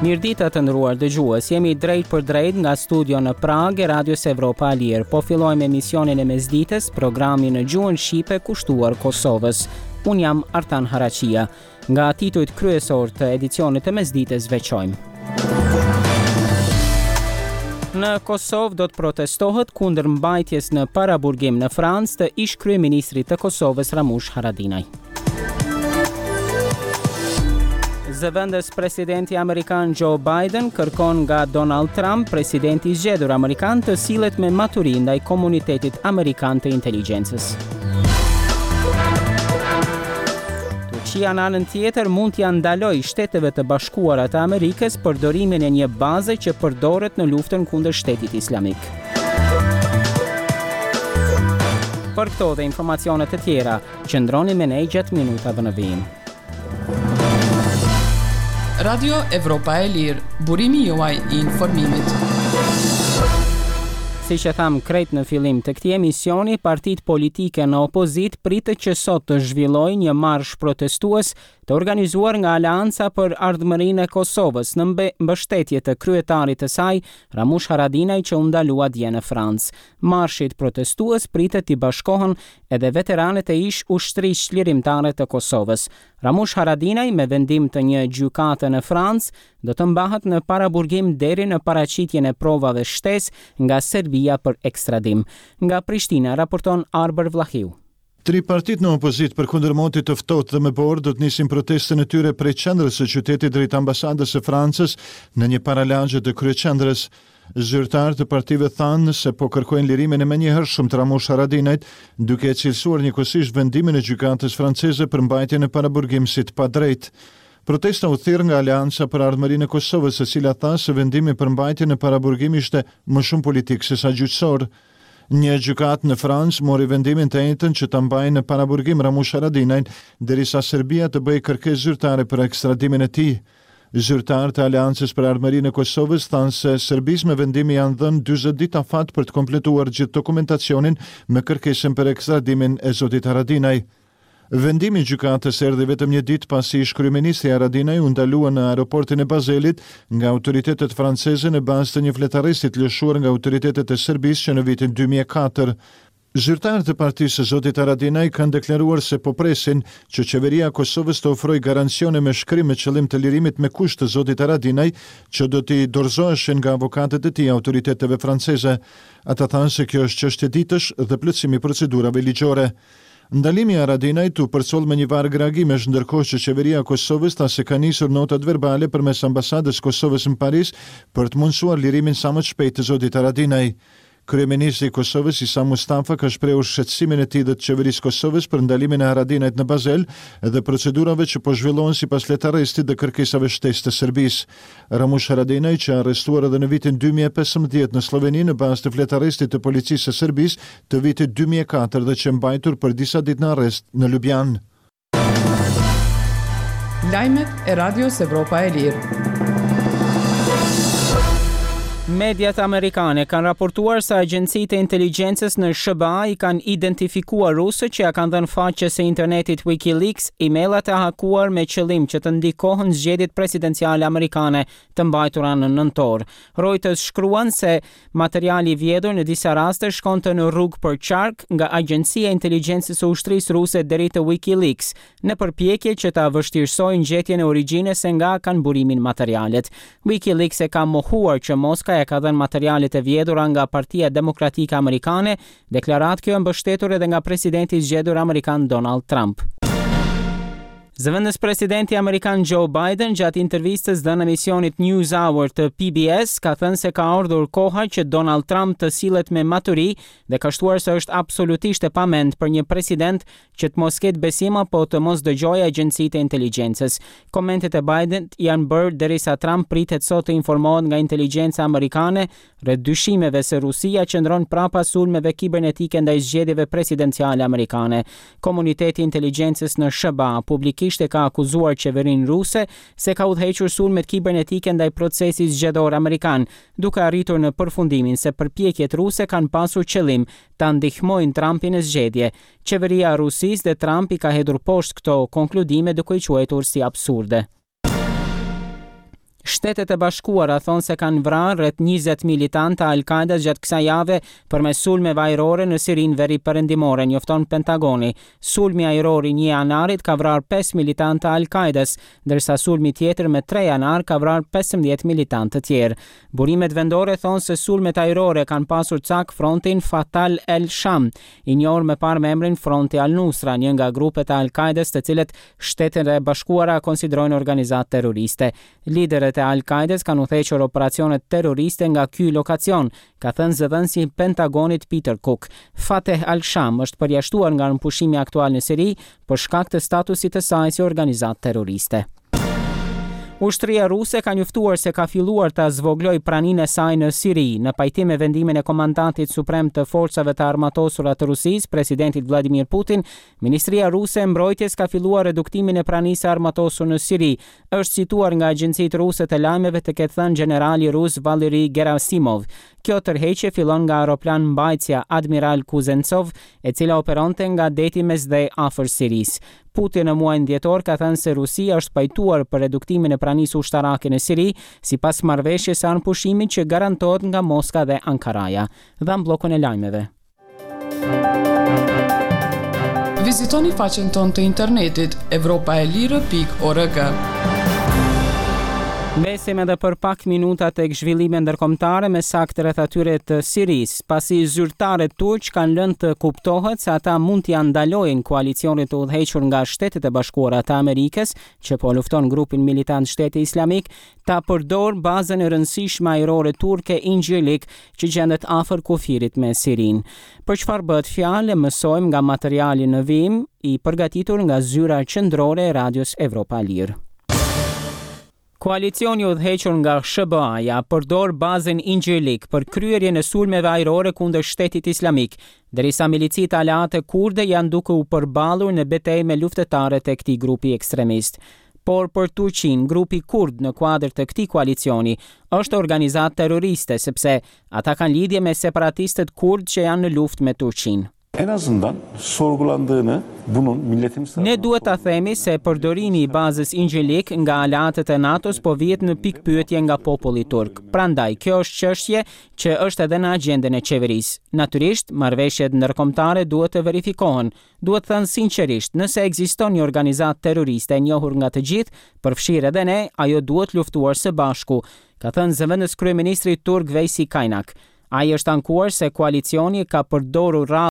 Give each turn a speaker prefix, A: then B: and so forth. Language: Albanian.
A: Mirëdita të nderuar dëgjues, jemi drejtpërdrejt nga studio në Pragë e Radios Evropa e Lirë. Po fillojmë emisionin e mesditës, programin në gjuhën shqipe kushtuar Kosovës. Unë jam Artan Haraqija. Nga titujt kryesorë të edicionit të mesditës veçojmë. Në Kosovë do të protestohet kundër mbajtjes në paraburgim në Francë të ish-kryeministrit të Kosovës Ramush Haradinaj. Zëvendës presidenti amerikan Joe Biden kërkon nga Donald Trump, presidenti i zgjedhur amerikan, të sillet me maturi ndaj komunitetit amerikan të inteligjencës. Turqia në anën tjetër mund t'ia ndalojë Shteteve të Bashkuara të Amerikës përdorimin e një baze që përdoret në luftën kundër Shtetit Islamik. Për këto dhe informacione të tjera, qëndroni me ne gjatë minutave në vijim.
B: Radio Evropa e Lirë, burimi juaj i informimit.
A: Siç e thamë krejt në fillim të këtij emisioni, partitë politike në opozitë pritet që sot të zhvillojnë një marsh protestues të organizuar nga Aleanca për Ardhmërinë e Kosovës në mbështetje të kryetarit të saj, Ramush Haradinaj që u ndalua dje në Francë. Marshit protestues pritet t'i bashkohen edhe veteranët e ish-Ushtrisë Çlirimtare të Kosovës. Ramush Haradinaj me vendim të një gjykate në Francë do të mbahet në paraburgim deri në paraqitjen e provave shtesë nga Serbia për ekstradim. Nga Prishtina raporton Arbër Vllahiu.
C: Tri partitë në opozitë përkundër motit të ftohtë dhe me borë do të nisin protestën e tyre prej qendrës së qytetit drejt ambasadës së Francës në një paralagje të kryeqendrës. Zyrtarë të partive thanë se po kërkojnë lirimin e menjëhershëm të Ramush Haradinajt, duke e cilësuar njëkohësisht vendimin e gjykatës franceze për mbajtjen në paraburgim si të padrejtë. Protesta u thirr nga Aleanca për Ardhmërinë e Kosovës, e cila tha se vendimi për mbajtjen në paraburgim ishte më shumë politik sesa gjyqësor. Një gjykatë në Francë mori vendimin të enjten që ta mbajë në paraburgim Ramush Haradinajn, derisa Serbia të bëjë kërkesë zyrtare për ekstradimin e tij. Zyrtarë të Aleancës për Ardhmërinë e Kosovës thanë se Serbisë me vendim i janë dhënë 40 ditë afat për të kompletuar gjithë dokumentacionin me kërkesën për ekstradimin e zotit Haradinaj. Vendimi i gjykatës erdhi vetëm një ditë pasi ish-kryeministri Haradinaj u ndalua në aeroportin e Bazelit nga autoritetet franceze në bazë të një fletarresti të lëshuar nga autoritetet e Serbisë që në vitin 2004. Zyrtarë të partisë së zotit Haradinaj kanë deklaruar se po presin që Qeveria e Kosovës të ofrojë garancione me shkrim me qëllim të lirimit me kusht të zotit Haradinaj që do t'i dorëzoheshin nga avokatët e tij autoriteteve franceze. Ata thanë se kjo është çështje ditësh dhe plotësim i procedurave ligjore. Ndalimi i Haradinajt u përcoll me një varg reagimesh, ndërkohë që Qeveria e Kosovës tha se ka nisur notat verbale përmes Ambasadës së Kosovës në Paris për të mundësuar lirimin sa më të shpejtë të zotit Haradinaj. Kryeministri i Kosovës, Isa Mustafa, ka shprehur shqetësimin e tij dhe të Qeverisë së Kosovës për ndalimin e Haradinajt në Bazel dhe procedurave që po zhvillohen sipas letarrestit dhe kërkesave shtesë të Serbisë. Ramush Haradinaj, qe arrestuar edhe në vitin 2015 në Slloveni në bazë të fletarrestit të Policisë së Serbisë të vitit 2004 dhe qe mbajtur për disa ditë në arrest në Lubjanë.
B: Lajmet e Radios Evropa e Lirë.
A: Mediat amerikane kanë raportuar se agjencitë e inteligjencës në SHBA i kanë identifikuar rusët që ia kanë dhënë faqes së internetit WikiLeaks e-mailat e hakuar me qëllim që të ndikohen zgjedhjet presidenciale amerikane të mbajtura në nëntor. Reuters shkruan se materiali i vjedhur në disa raste shkonte në rrugë përqark nga Agjencia e Inteligjencës së Ushtrisë Ruse deri te WikiLeaks, në përpjekje që ta vështirësojnë gjetjen e origjinës se nga kanë burimin materialet. WikiLeaks e ka mohuar që Moska ia ka dhënë materialet e vjedhura nga Partia Demokratike Amerikane Deklaratë kjo e mbështetur edhe nga presidenti i zgjedhur amerikan Donald Trump. Zëvendës presidenti amerikan Joe Biden gjatë intervistës dhënë emisionit NewsHour të PBS ka thënë se ka ardhur koha që Donald Trump të sillet me maturi dhe ka shtuar se është absolutisht e pamend për një president që të mos ketë besim apo të mos dëgjojë agjencitë e inteligjencës. Komentet e Biden janë bërë derisa Trump pritet sot të informohet nga inteligjenca amerikane rreth dyshimeve se Rusia qëndron prapa sulmeve kibernetike ndaj zgjedhjeve presidenciale amerikane. Komuniteti i inteligjencës në SHBA publikisht e ka akuzuar qeverinë ruse se ka udhëhequr sulmet kibernetike ndaj procesit zgjedhor amerikan, duke arritur në përfundimin se përpjekjet ruse kanë pasur qëllim ta ndihmojnë Trumpin në zgjedhje. Qeveria e Rusisë dhe Trump i ka hedhur poshtë këto konkludime duke i quajtur si absurde. Shtetet e Bashkuara thonë se kanë vrarë rreth 20 militantë të Al-Qaedas gjatë kësaj jave përmes sulmeve ajrore në Sirinë veriperëndimore, njofton Pentagoni. Sulmi ajror i një janarit ka vrarë pesë militantë të Al-Qaedas, ndërsa sulmi tjetër me tre janar ka vrarë 15 militantë të tjerë. Burimet vendore thonë se sulmet ajrore kanë pasur cak frontin Fatah al-Sham, i njohur më parë me emrin Fronti al-Nusra, një nga grupet e Al-Qaedas të cilët Shtetet e Bashkuara konsiderojnë organizatë terroriste. Liderët e Al-Qaedas kanë udhëhequr operacionet terroriste nga ky lokacion, ka thënë zëdhënësi i Pentagonit Peter Cook. Fateh al-Sham është përjashtuar nga armëpushimi aktual në Siri për shkak të statusit të saj si organizatë terroriste. Ushtria ruse ka njoftuar se ka filluar ta zvogëlojë praninë e saj në Siri, në pajtim me vendimin e komandantit suprem të Forcave të Armatosura të Rusisë, presidentit Vladimir Putin, Ministria ruse e Mbrojtjes ka filluar reduktimin e pranisë së armatosur në Siri, është cituar nga agjencitë ruse të lajmeve të ketë thënë gjenerali rus Valery Gerasimov. Kjo tërheqje fillon nga aeroplanmbajtësja Admiral Kuznetsov, e cila operonte nga Deti Mesdhe afër Sirisë. Putin në muajin dhjetor ka thënë se Rusia është pajtuar për reduktimin e pranisë ushtarake në Siri, sipas marrëveshjes së armëpushimit që garantohet nga Moska dhe Ankaraja. Dhamë bllokun e lajmeve.
B: Vizitoni faqen tonë të internetit evropaelire.org.
A: Mbesim edhe për pak minuta tek zhvillime ndërkombëtare më saktë rreth atyre të Sirisë, pasi zyrtarët turq kanë lënë të kuptohet se ata mund t'ia ndalojnë koalicionit të udhëhequr nga Shtetet e Bashkuara të Amerikës, që po lufton grupin militant Shteti Islamik, ta përdorë bazën e rëndësishme ajrore turke Incirlik që gjendet afër kufirit me Sirinë. Për çfarë bëhet fjalë e mësojmë nga materiali në vijim, i përgatitur nga zyra qendrore e Radios Evropa e Lirë. Koalicioni i udhëhequr nga SHBA-ja përdor bazën Incirlik për kryerjen e sulmeve ajrore kundër Shtetit Islamik, derisa milicitë aleate kurde janë duke u përballur në betejë me luftëtarët e këtij grupi ekstremist. Por për Turqinë, grupi kurd në kuadër të këtij koalicioni është organizatë terroriste, sepse ata kanë lidhje me separatistët kurdë që janë në luftë me Turqinë.
D: En azından sorgulandığını bunun milletimiz
A: Ne duhet ta themi se përdorimi i bazës Incirlik nga aleatët e NATO-s po vihet në pikëpyetje nga populli turk. Prandaj, kjo është çështje që është edhe në agjendën e qeverisë. Natyrisht, marrëveshjet ndërkombëtare duhet të verifikohen, Duhet thënë sinqerisht, nëse ekziston një organizatë terroriste e njohur nga të gjithë, përfshirë edhe ne, ajo duhet luftuar së bashku, ka thënë zëvendëskryeministri turk Veysi Kaynak. Ai është ankuar se koalicioni ka përdorur rrallë.